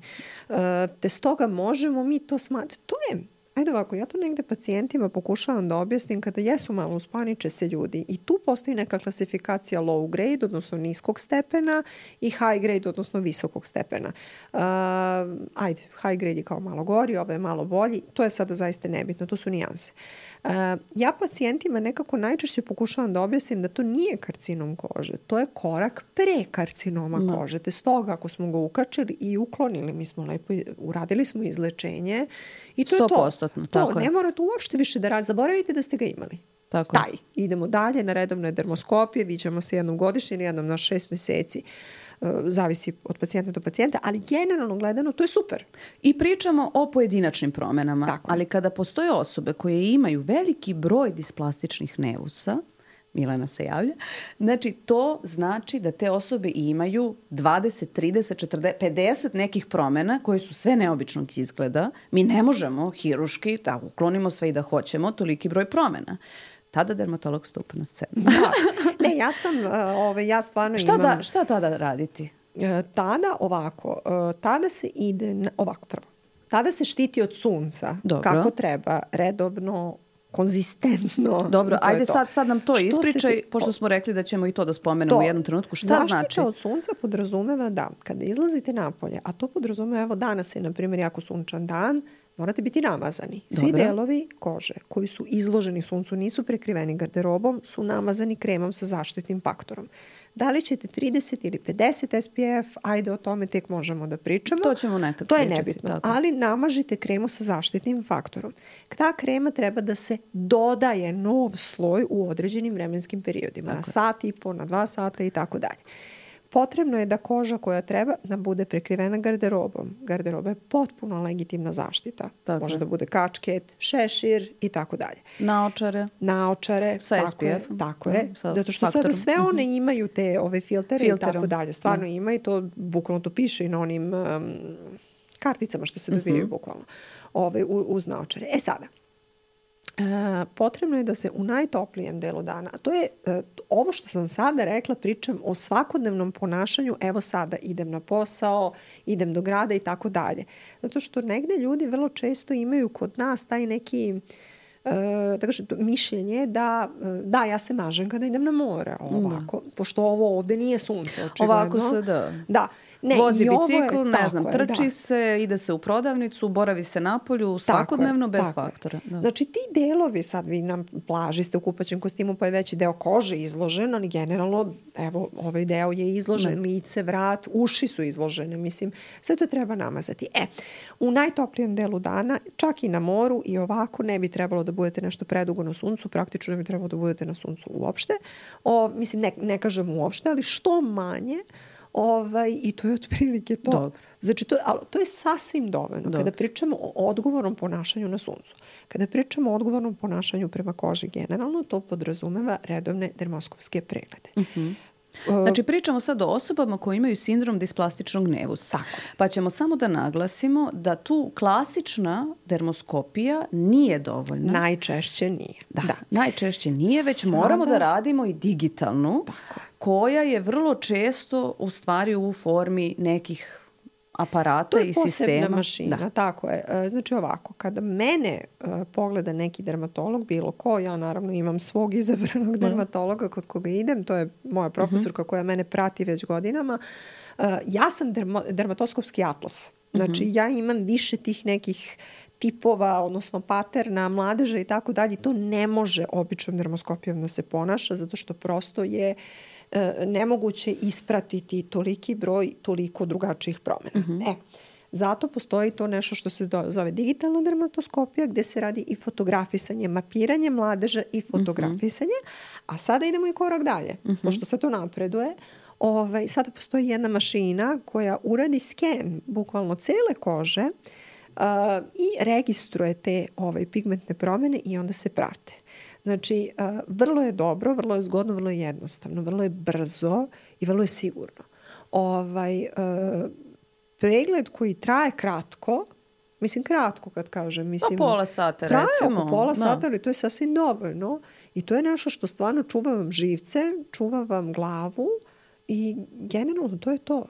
Uh, te stoga možemo mi to smatrati. To je... Ajde ovako, ja to negde pacijentima pokušavam da objasnim kada jesu malo uspaniče se ljudi i tu postoji neka klasifikacija low grade, odnosno niskog stepena i high grade, odnosno visokog stepena. Uh, ajde, high grade je kao malo gori, ovo je malo bolji, to je sada zaista nebitno, to su nijanse. Uh, ja pacijentima nekako najčešće pokušavam da objasnim da to nije karcinom kože, to je korak pre karcinoma no. kože. Te stoga ako smo ga ukačili i uklonili, mi smo lepo, uradili smo izlečenje i to je to. To,
tako
ne morate uopšte više da radite. Zaboravite da ste ga imali.
Tako
Taj. Idemo dalje na redovne dermoskopije, viđamo se jednom godišnje ili jednom na šest meseci. Uh, zavisi od pacijenta do pacijenta, ali generalno gledano to je super.
I pričamo o pojedinačnim promenama,
tako.
Ali kada postoje osobe koje imaju veliki broj displastičnih nevusa, Milena se javlja, znači to znači da te osobe imaju dvadeset, trideset, četrdeset, pedeset nekih promena koje su sve neobičnog izgleda. Mi ne možemo hiruški da uklonimo sve i da hoćemo toliki broj promena. Tada dermatolog stupa na scenu.
Da. Ne, ja sam, uh, ove, ja stvarno
šta
imam...
Da, šta tada raditi?
Uh, tada ovako, uh, tada se ide, na, ovako prvo, tada se štiti od sunca. Dobro. Kako treba, redovno, konzistentno.
Dobro, ajde sad, sad nam to što ispričaj, se... pošto smo rekli da ćemo i to da spomenemo to, u jednom trenutku. Šta
zaštita
znači?
Zaštita od sunca podrazumeva da kada izlazite napolje, a to podrazumeva, evo danas je, na primjer, jako sunčan dan, morate biti namazani. Svi Dobro. Delovi kože koji su izloženi suncu, nisu prekriveni garderobom, su namazani kremom sa zaštitnim faktorom. Da li ćete trideset ili pedeset S P F, ajde o tome tek možemo da pričamo.
To ćemo nekad
To
pričati,
je nebitno,
tako.
Ali namažite kremu sa zaštitnim faktorom. Ta krema treba da se dodaje nov sloj u određenim vremenskim periodima. Tako. Na sat i po, na dva sata i tako dalje. Potrebno je da koža koja treba da bude prekrivena garderobom. Garderoba je potpuno legitimna zaštita. Tako. Može da bude kačket, šešir i tako dalje.
Naočare.
Naočare.
Sa
tako
S P F.
Je, tako je.
Sa
Zato što faktorom. Sada sve one imaju te ove filtere Filterom. I tako dalje. Stvarno ima i to bukvalno to piše i na onim um, karticama što se dobijaju uh-huh. bukvalno ove, uz naočare. E sada, Uh, potrebno je da se u najtoplijem delu dana, a to je uh, ovo što sam sada rekla, pričam o svakodnevnom ponašanju, evo sada idem na posao, idem do grada i tako dalje. Zato što negde ljudi vrlo često imaju kod nas taj neki uh, da kažem, mišljenje da da, ja se mažem kada idem na more, ovako, da. Pošto ovo ovde nije sunce, očigledno.
Ovako se da.
Da.
Ne, vozi bicikl, ne znam, je, trči da. se, ide se u prodavnicu, boravi se napolju, svakodnevno bez faktora. Da.
Znači ti delovi, sad vi na plaži ste u kupaćem kostimu pa je veći deo kože izložen, ali generalno, evo, ovaj deo je izložen, ne. lice, vrat, uši su izložene, mislim, sve to treba namazati. E, u najtoplijem delu dana, čak i na moru i ovako ne bi trebalo da budete nešto predugo na suncu, praktično ne bi trebalo da budete na suncu uopšte. O, mislim, ne, ne kažem uopšte, ali što manje. Ovaj, I to je otprilike to.
Dobro.
Znači, to, ali to je sasvim dovoljno. Dobro. Kada pričamo o odgovornom ponašanju na suncu, kada pričamo o odgovornom ponašanju prema koži generalno, to podrazumeva redovne dermoskopske preglede.
Uh-huh. Znači, pričamo sad o osobama koji imaju sindrom displastičnog nevusa.
Tako.
Pa ćemo samo da naglasimo da tu klasična dermoskopija nije dovoljna.
Najčešće nije.
Da, da. najčešće nije, već Sada... moramo da radimo i digitalnu, Tako. koja je vrlo često u stvari u formi nekih aparata i sistema.
To je posebna mašina, da. Tako je. Znači ovako, kada mene uh, pogleda neki dermatolog, bilo ko, ja naravno imam svog izabranog dermatologa kod koga idem, to je moja profesorka uh-huh. koja mene prati već godinama. Uh, ja sam dermo, dermatoskopski atlas. Znači uh-huh. ja imam više tih nekih tipova, odnosno paterna, mladeža i tako dalje. To ne može običnom dermoskopijom da se ponaša, zato što prosto je nemoguće ispratiti toliki broj toliko drugačijih promjena. Mm-hmm. E, zato postoji to nešto što se zove digitalna dermatoskopija, gde se radi i fotografisanje, mapiranje mladeža i fotografisanje, mm-hmm. a sada idemo i korak dalje. Mm-hmm. Pošto se to napreduje, Ovaj, sada postoji jedna mašina koja uradi sken bukvalno cele kože uh, i registruje te ovaj, pigmentne promene i onda se prate. Znači, uh, vrlo je dobro, vrlo je zgodno, vrlo je jednostavno, vrlo je brzo i vrlo je sigurno. Ovaj, uh, pregled koji traje kratko, mislim kratko kad kažem, mislim...
Pa pola sata,
traje
recimo.
Traje oko pola
da.
sata, ali to je sasvim dovoljno. I to je nešto što stvarno čuva vam živce, čuva vam glavu i generalno to je to.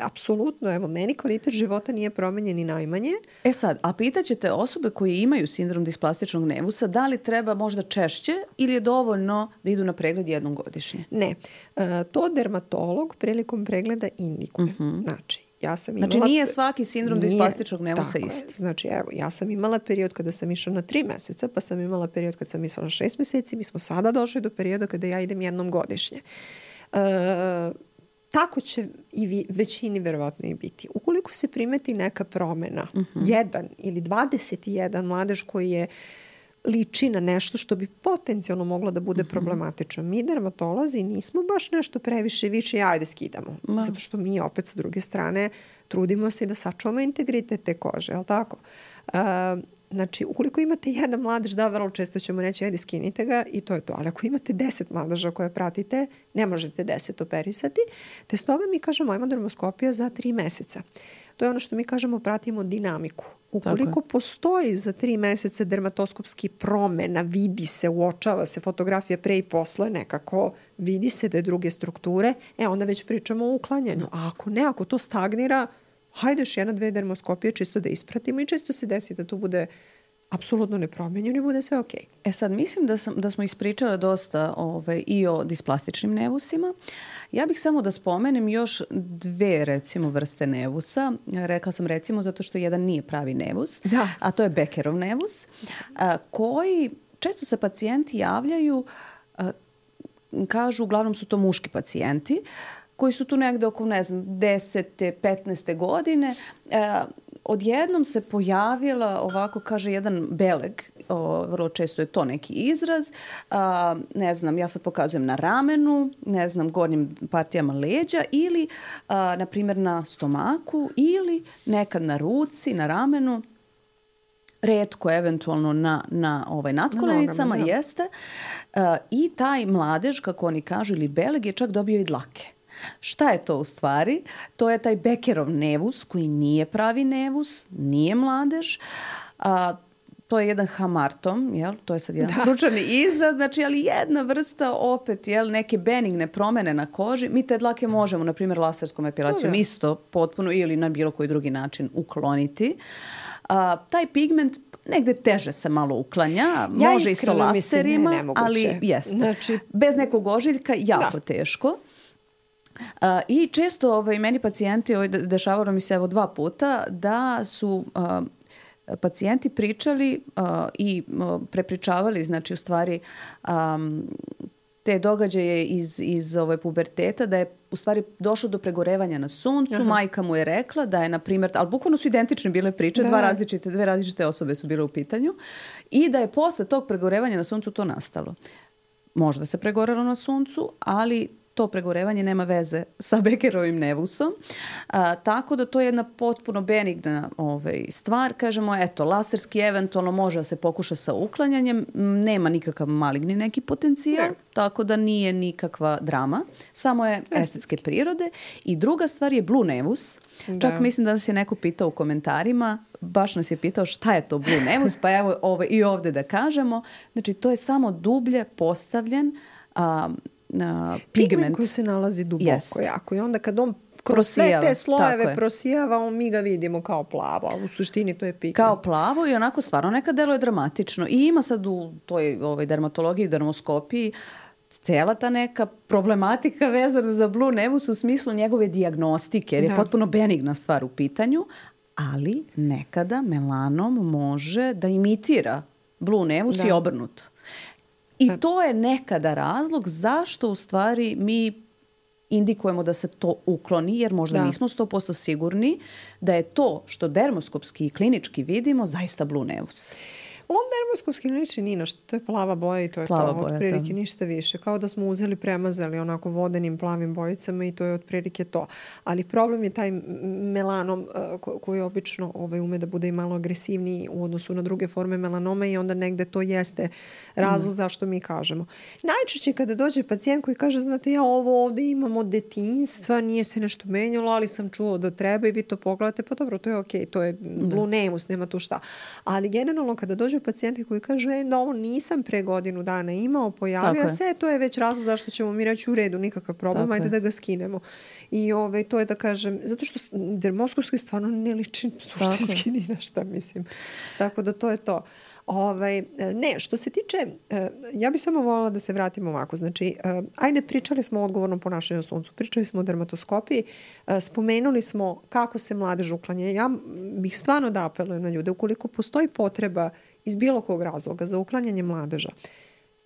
Apsolutno, evo, meni kvalitet života nije promenjen ni najmanje.
E sad, a pitaćete osobe koje imaju sindrom displastičnog nevusa, da li treba možda češće ili je dovoljno da idu na pregled jednom godišnje?
Ne. E, to dermatolog prilikom pregleda indikuje. Uh-huh. Znači, ja sam imala...
Znači nije svaki sindrom nije, displastičnog nevusa isti.
Je. Znači, evo, ja sam imala period kada sam išla na tri meseca, pa sam imala period kada sam išla na šest meseci, mi smo sada došli do perioda kada ja idem jednom godišnje. E, Tako će i vi, većini verovatno i biti. Ukoliko se primeti neka promena, uh-huh. jedan ili dvadeset jedan mladež koji je liči na nešto što bi potencijalno moglo da bude uh-huh. problematično. Mi dermatolozi nismo baš nešto previše više, ajde skidamo. No. Zato što mi opet sa druge strane trudimo se da sačuvamo integritet te kože, je li tako? Uh, Znači, ukoliko imate jedan mladež, da, vrlo često ćemo reći, ajde, skinite ga i to je to. Ali ako imate deset mladeža koje pratite, ne možete deset operisati. Te stoga mi kažemo, ajmo dermoskopija za tri meseca. To je ono što mi kažemo, pratimo dinamiku. Ukoliko postoji za tri meseca dermatoskopski promena, vidi se, uočava se fotografija pre i posle nekako, vidi se da je druge strukture, e, onda već pričamo o uklanjanju. A ako ne, ako to stagnira, hajde još jedna, dve dermoskopije čisto da ispratimo i čisto se desi da to bude apsolutno nepromenjeno i bude sve okej. Okay.
E sad, mislim da, sam, da smo ispričala dosta ovaj, i o displastičnim nevusima. Ja bih samo da spomenem još dve, recimo, vrste nevusa. Rekla sam recimo zato što jedan nije pravi nevus,
da.
A to je Beckerov nevus, a, koji često se pacijenti javljaju, a, kažu, uglavnom su to muški pacijenti, koji su tu negde oko, ne znam, desete, petnaeste godine. E, odjednom se pojavila, ovako kaže, jedan beleg, o, vrlo često je to neki izraz, a, ne znam, ja sad pokazujem na ramenu, ne znam, gornjim partijama leđa ili, a, na primjer, na stomaku ili nekad na ruci, na ramenu, retko eventualno na, na ovaj, natkolenicama, no, jeste. A, I taj mladež, kako oni kažu, ili beleg je čak dobio i dlake. Šta je to u stvari? To je taj Beckerov nevus koji nije pravi nevus, nije mladež. A, to je jedan hamartom, jel? To je sad jedan da. stručani izraz, znači, ali jedna vrsta opet, jel, neke benigne promene na koži. Mi te dlake možemo, na primjer, laserskom epilacijom no, isto potpuno ili na bilo koji drugi način ukloniti. A, taj pigment negde teže se malo uklanja,
ja
može isto laserima,
mislim, ne,
ali jeste.
Znači,
bez nekog ožiljka jako
da.
teško. Uh, I često ovaj, meni pacijenti, ovaj, dešavalo mi se evo dva puta, da su uh, pacijenti pričali uh, i uh, prepričavali, znači u stvari um, te događaje iz, iz ovaj, puberteta, da je u stvari došlo do pregorevanja na suncu. Aha. Majka mu je rekla da je, na primjer, ali bukvalno su identične bile priče, da. dva različite, dve različite osobe su bile u pitanju, i da je posle tog pregorevanja na suncu to nastalo. Možda se pregorelo na suncu, ali to pregorevanje nema veze sa Beckerovim nevusom. A, tako da to je jedna potpuno benigna ovaj, stvar. Kažemo, eto, laserski eventualno može da se pokuša sa uklanjanjem. Nema nikakav maligni neki potencijal, ne. Tako da nije nikakva drama. Samo je estetske, estetske prirode. I druga stvar je blue nevus. Da. Čak mislim da nas je neko pitao u komentarima, baš nas je pitao šta je to blue nevus, pa evo ovaj, i ovde da kažemo. Znači, to je samo dublje postavljen a, Uh, pigment.
pigment koji se nalazi duboko yes. jako i onda kad on kroz prosijava, sve te slojeve prosijava, on mi ga vidimo kao plavo, a u suštini to je pigment.
Kao plavo i onako stvarno nekad deluje dramatično. I ima sad u toj ovaj, dermatologiji, dermoskopiji cela ta neka problematika vezana za blue nevus u smislu njegove dijagnostike, jer je da. potpuno benigna stvar u pitanju, ali nekada melanom može da imitira blue nevus da. i obrnuto. I to je nekada razlog zašto u stvari mi indikujemo da se to ukloni, jer možda da. nismo sto posto sigurni da je to što dermoskopski i klinički vidimo zaista blue nevus.
On dermoskopski liči ni na što. To je plava boja i to je
plava
to.
Boja,
otprilike
da.
Ništa više. Kao da smo uzeli, premazali onako vodenim plavim bojicama i to je otprilike to. Ali problem je taj melanom ko, koji obično ovaj, ume da bude i malo agresivniji u odnosu na druge forme melanoma i onda negde to jeste razlog mm. zašto mi kažemo. Najčešće kada dođe pacijent koji kaže, znate, ja ovo ovde imam od detinjstva, nije se nešto menjalo, ali sam čuo da treba i vi to pogledate, pa dobro, to je okej, okay, to je blunemus, nema tu šta. Ali generalno kada dođu pacijenti koji kažu, e, da ovo nisam pre godinu dana imao, pojavio se, to je već razlog zašto ćemo mi reći u redu, nikakav problem, tako ajde je. Da ga skinemo. I ove, to je da kažem, zato što dermoskopski stvarno ne liči suštinski ni na šta, mislim. Tako da to je to. Ovaj, ne, što se tiče, ja bih samo voljela da se vratimo ovako. Znači, ajde, pričali smo o odgovornom ponašanju na suncu, pričali smo o dermatoskopiji, spomenuli smo kako se mladež uklanja. Ja bih stvarno da apelujem na ljude, ukoliko postoji potreba iz bilo kog razloga za uklanjanje mladeža,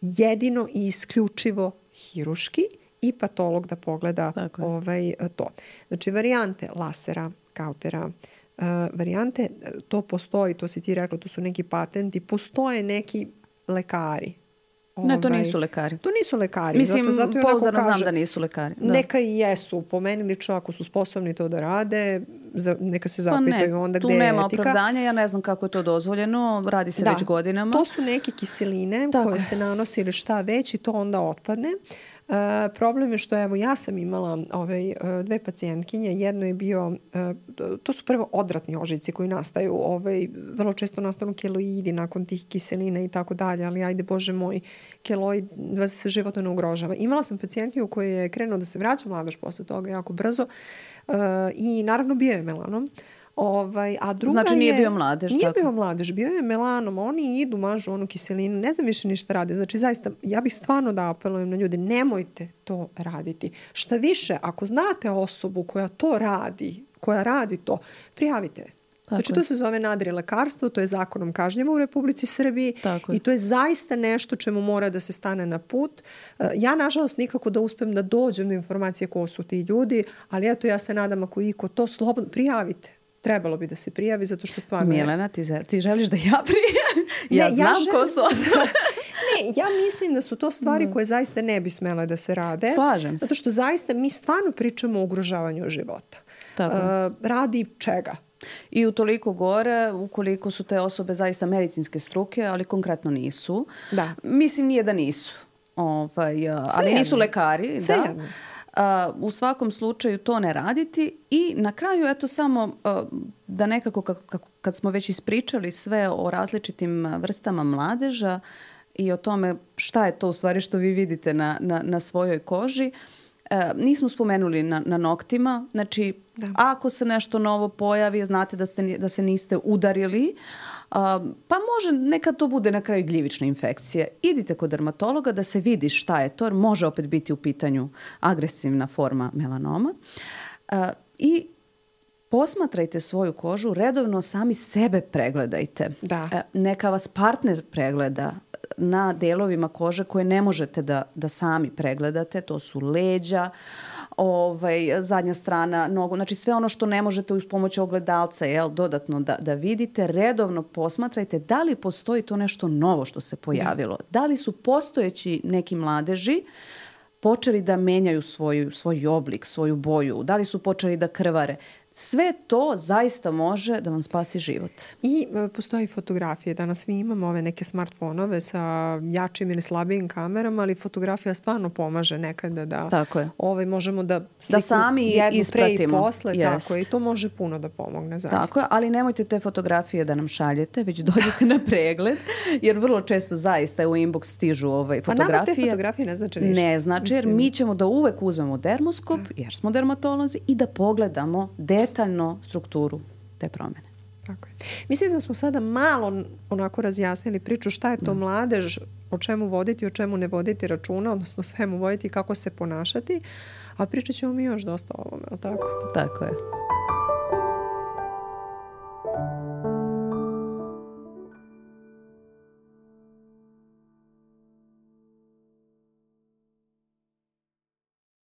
jedino i isključivo hiruški i patolog da pogleda ovaj, to. Znači, varijante lasera, kautera, Uh, varijante, to postoji, to si ti rekla, to su neki patenti, postoje neki lekari.
Ne, to nisu lekari.
To nisu lekari.
Mislim,
zato, zato
pouzdano znam da nisu lekari. Da.
Neka i jesu, po meni lično, ako su sposobni to da rade, za, neka se zapitaju
pa
onda gde je etika.
Tu nema opravdanja, ja ne znam kako je to dozvoljeno, radi se da. već godinama.
To su neke kiseline Tako. koje se nanose ili šta već i to onda otpadne. Uh, problem je što evo ja sam imala ovaj, uh, dve pacijentkinje, jedno je bio, uh, to su prvo odvratni ožiljci koji nastaju, ovaj, vrlo često nastanu keloidi nakon tih kiselina i tako dalje, ali ajde Bože moj, keloid vas se životno ne ugrožava. Imala sam pacijentkinju koja je krenuo da se vraća mladež posle toga jako brzo uh, i naravno bio je melanom. Ovaj, a druga
znači nije
je,
bio mladež.
Nije
tako.
bio mladež, bio je melanom. Oni idu, mažu onu kiselinu, ne znam više ništa rade. Znači zaista, ja bih stvarno da apelujem na ljude, nemojte to raditi. Šta više, ako znate osobu koja to radi, koja radi to, prijavite je. Tako znači, je. To se zove nadri lekarstvo, to je zakonom kažnjivo u Republici Srbiji
Tako
i to je zaista nešto čemu mora da se stane na put. Ja, nažalost, nikako da uspem da dođem do informacije ko su ti ljudi, ali eto, ja se nadam ako iko to slobodno, prijavite. Trebalo bi da se prijavi, zato što stvarno je...
Milena, ti, ti želiš da ja prijavim? Ja ne, znam ja želim... ko su osobe.
Ne, ja mislim da su to stvari koje zaista ne bi smele da se rade.
Slažem se.
Zato što zaista mi stvarno pričamo o ugrožavanju života.
Tako.
Uh, radi čega?
I utoliko gore, ukoliko su te osobe zaista medicinske struke, ali konkretno nisu.
Da.
Mislim, nije da nisu. Ovaj, ali
jedno.
Nisu lekari.
Sve
da.
jedno.
Uh, u svakom slučaju to ne raditi i na kraju eto samo uh, da nekako kako, kako, kad smo već ispričali sve o različitim vrstama mladeža i o tome šta je to u stvari što vi vidite na, na, na svojoj koži, uh, nismo spomenuli na, na noktima, znači da. Ako se nešto novo pojavi, znate da, ste, da se niste udarili, Uh, pa može, neka to bude na kraju gljivična infekcija. Idite kod dermatologa da se vidi šta je to, jer može opet biti u pitanju agresivna forma melanoma. Uh, I posmatrajte svoju kožu, redovno sami sebe pregledajte.
Da.
Uh, neka vas partner pregleda na delovima kože koje ne možete da, da sami pregledate. To su leđa, ovaj, zadnja strana nogu, znači sve ono što ne možete uz pomoć ogledalca jel, dodatno da, da vidite, redovno posmatrajte da li postoji to nešto novo što se pojavilo. Da, da li su postojeći neki mladeži počeli da menjaju svoj, svoj oblik, svoju boju, da li su počeli da krvare. Sve to zaista može da vam spasi život.
I e, postoji fotografije. Danas mi imamo ove neke smartfonove sa jačim ili slabijim kamerama, ali fotografija stvarno pomaže nekada da
tako je.
Ovaj, možemo da sliku
da sami
jednu
ispratimo.
Pre i posle.
Jest.
Tako, i to može puno da pomogne. Zaista.
Tako je, ali nemojte te fotografije da nam šaljete, već dođete na pregled, jer vrlo često zaista u inbox stižu ovaj, fotografije.
A nama te fotografije ne znači ništa.
Ne znači, jer mi ćemo da uvek uzmemo dermoskop, da. Jer smo dermatolozi, i da pogledamo detaljno strukturu te promene.
Tako je. Mislim da smo sada malo onako razjasnili priču šta je to da. Mladež, o čemu voditi, o čemu ne voditi računa, odnosno svemu voditi i kako se ponašati, a pričat ćemo mi još dosta o ovome, ali tako?
Tako je.